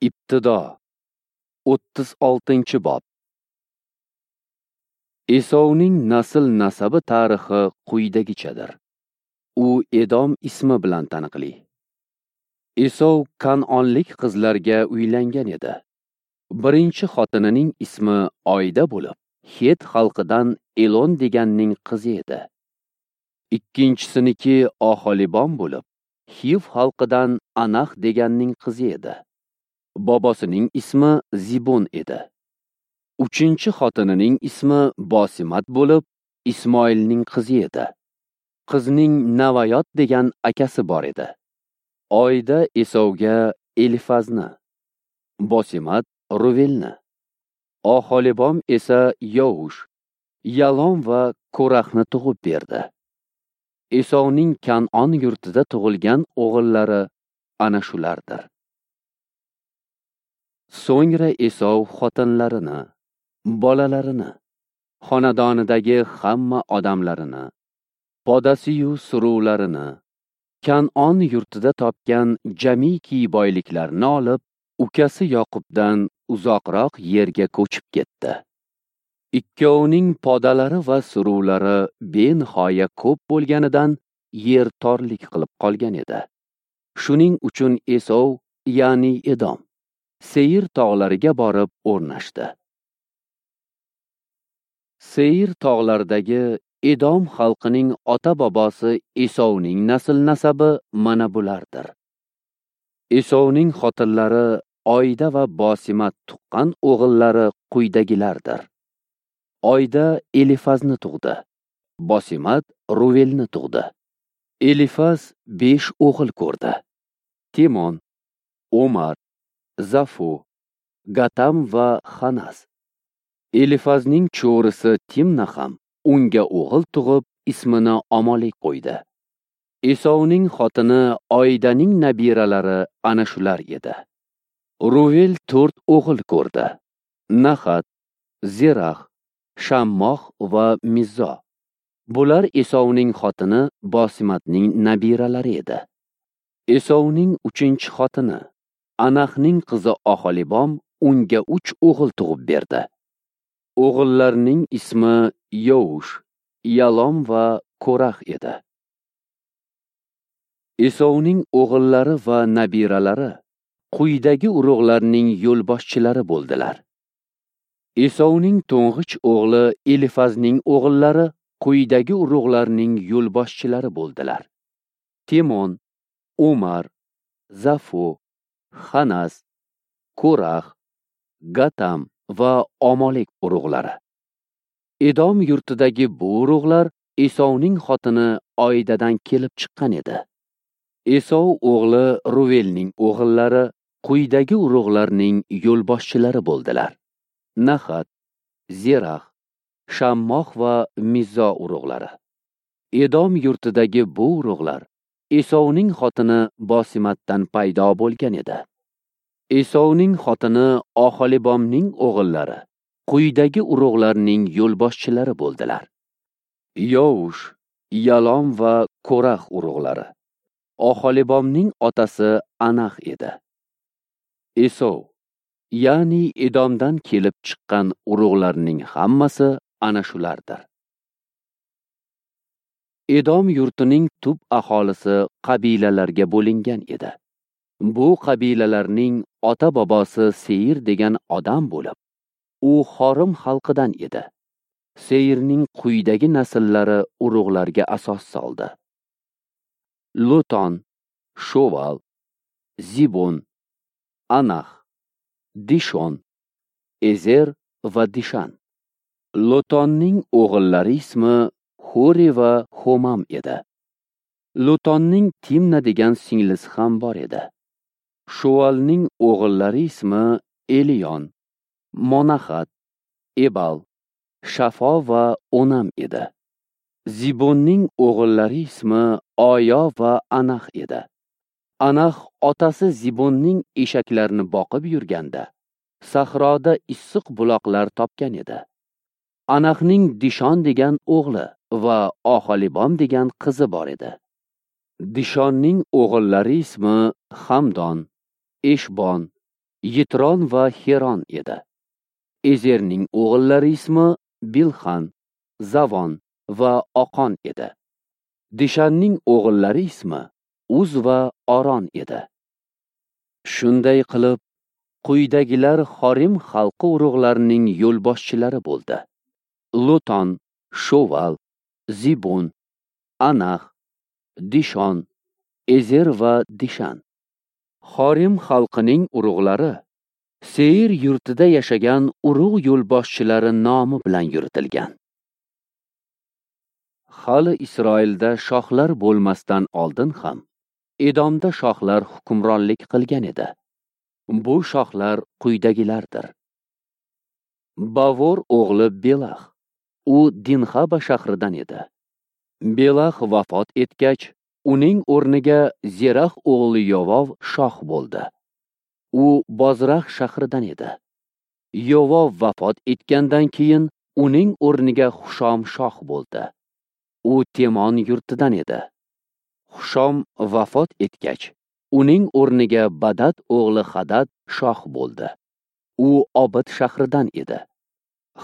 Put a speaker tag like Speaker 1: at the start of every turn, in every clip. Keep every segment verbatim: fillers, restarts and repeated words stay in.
Speaker 1: Ibtido o'ttiz oltinchi bob. Esovning nasl-nasabi tarixi quyidagichadir. U Edom ismi bilan taniqli. Esov Kan'onlik qizlarga uylangan edi. Birinchi xotinining ismi Oyda bo'lib, Het xalqidan Elon deganning qizi edi. Ikkinchisiniki Oholibom bo'lib, Hiv xalqidan Anax deganning qizi edi. Bobosining ismi Zibon edi. Uchinchi xotinining ismi Bosimat bo'lib, Ismoilning qizi edi. Qizning Navayot degan akasi bor edi. Oyda Esovga Elifazni, Bosimat Ruvelni, Oholibom esa Yoush, Yalom va Ko'raxni tug'ib berdi. Esovning Kan'on yurtida tug'ilgan o'g'illari ana shulardir. So'ngra Esov xotinlarini, bolalarini, xonadonidagi hamma odamlarini, podasiyu suruvlarini, Kan'on yurtida topgan jamiki boyliklarini olib, ukasi Yoqubdan uzoqroq yerga ko'chib ketdi. Ikkovining podalari va suruvlari benihoya ko'p bo'lganidan yer torlik qilib qolgan edi. Shuning uchun Esov, ya'ni Edom, Seyir tog'lariga borib o'rnashdi. Seyir tog'laridagi Edom xalqining ota-bobosi Esovning nasl-nasabi mana bulardir. Esovning xotinlari Oyda va Bosimat tuqqan o'g'illari quyidagilardir. Oyda Elifazni tug'di. Bosimat Ruvelni tug'di. Elifaz besh o'g'il ko'rdi: Timon, Omar, Zafu, Gatam va Xanas. Elifazning cho'risi Timna ham unga o'g'il tug'ib, ismini Amolik qo'ydi. Esovning xotini Oydaning nabiralari ana shular edi. Ruvel to'rt o'g'il ko'rdi: Nahat, Zerax, Shammoh va Mizzo. Bular Esovning xotini Bosimatning nabiralari edi. Esovning uchinchi xotini Anaxning qizi Oholibom unga uch o'g'il tug'ib berdi. O'g'illarning ismi Yoush, Yalom va Ko'rax edi. Esovning o'g'illari va nabiralari quyidagi urug'larning yo'lboshchilari bo'ldilar. Esovning to'ng'ich o'g'li Elifazning o'g'illari quyidagi urug'larning yo'lboshchilari bo'ldilar: Timon, Umar, Zafo, Xanas, Ko'rax, Gatam va Amolik urug'lari. Edom yurtidagi bu urug'lar Esovning xotini Oydadan kelib chiqqan edi. Esov o'g'li Ruvelning o'g'illari quyidagi urug'larning yo'lboshchilari bo'ldilar: Nahat, Zerax, Shammoh va Mizzo urug'lari. Edom yurtidagi bu urug'lar Esovning xotini Bosimatdan paydo bo'lgan edi. Esovning xotini Oholibomning o'g'illari quyidagi urug'larning yo'lboshchilari bo'ldilar: Yoush, Yalom va Ko'rax urug'lari. Oholibomning otasi Anax edi. Esov, ya'ni Edomdan kelib chiqqan urug'larning hammasi ana shulardir. Edom yurtining tub aholisi qabilalarga bo'lingan edi. Bu qabilalarning ota-bobosi Seyir degan odam bo'lib, u Xorim xalqidan edi. Seyirning quyidagi nasllari urug'larga asos soldi: Luton, Shoval, Zibon, Anax, Dishon, Ezer va Dishan. Lutonning o'g'illari ismi Hori va Homam edi. Lutonning Timna degan singlisi ham bor edi. Shuvalning o'g'illari ismi Eliyon, Monahat, Ebal, Shafo va Onam edi. Zibonning o'g'illari ismi Oyo va Anax edi. Anax otasi Zibonning eshaklarini boqib yurganda sahroda issiq buloqlar topgan edi. Anaxning Dishon degan o'g'li va Oholibom degan qizi bor edi. Dishonning o'g'illari ismi Hamdon, Eshbon, Yitron va Xeron edi. Ezerning o'g'illari ismi Bilxan, Zavon va Oqon edi. Dishanning o'g'illari ismi Uz va Oron edi. Shunday qilib, quyidagilar Xorim xalqi urug'larining yo'lboshchilari bo'ldi: Luton, Shoval, Zibon, Anax, Dishon, Ezer va Dishan. Xorim xalqining urug'lari Seir yurtida yashagan urug' yo'lboshchilari nomi bilan yuritilgan. Hali Isroilda shohlar bo'lmasdan oldin ham Edomda shohlar hukmronlik qilgan edi. Bu shohlar quyidagilardir: Bavor o'g'li Belax. U Dinxaba shahridan edi. Belax vafot etgach, uning o'rniga Zerax o'g'li Yovov shoh bo'ldi. U Bozrax shahridan edi. Yovov vafot etgandan keyin uning o'rniga Xushom shoh bo'ldi. U Temon yurtidan edi. Xushom vafot etgach, uning o'rniga Badad o'g'li Hadad shoh bo'ldi. U Obid shahridan edi.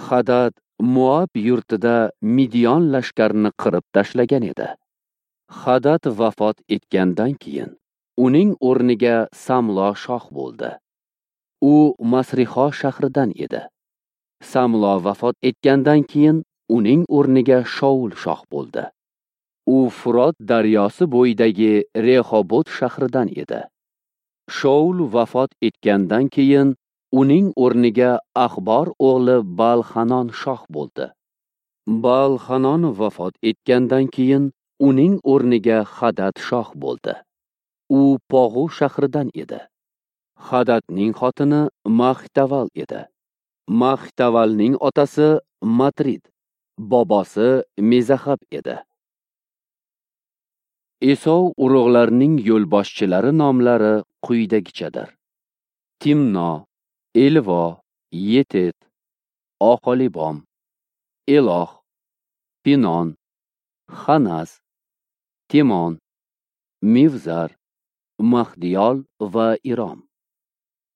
Speaker 1: Hadad Moab yurtida Midiyon lashkarini qirib tashlagan edi. Hadad vafot etgandan keyin uning o'rniga Samlo shoh bo'ldi. U Masriho shahridan edi. Samlo vafot etgandan keyin uning o'rniga Shoul shoh bo'ldi. U Furot daryosi bo'yidagi Rehobot shahridan edi. Shoul vafot etgandan keyin uning o'rniga Axbor o'g'li Bal-Hanon shoh bo'ldi. Bal-Hanon vafot etgandan keyin uning o'rniga Hadad shoh bo'ldi. U Pog'u shahridan edi. Hadadning xotini Mahtaval edi. Mahtavalning otasi Matrid, bobosi Mezahab edi. Esov urug'larining yo'lboshchilari nomlari quyidagichadir: Timno, Elvo, Yetet, Oholibom, Eloh, Pinon, Xanas, Timon, Mivzar, Mahdiyol va Irom.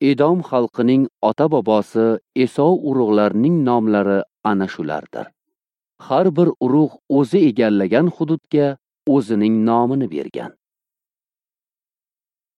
Speaker 1: Edom xalqining ota-bobosi Esov urug'larining nomlari ana shulardir. Har bir urug' o'zi egallagan hududga o'zining nomini bergan.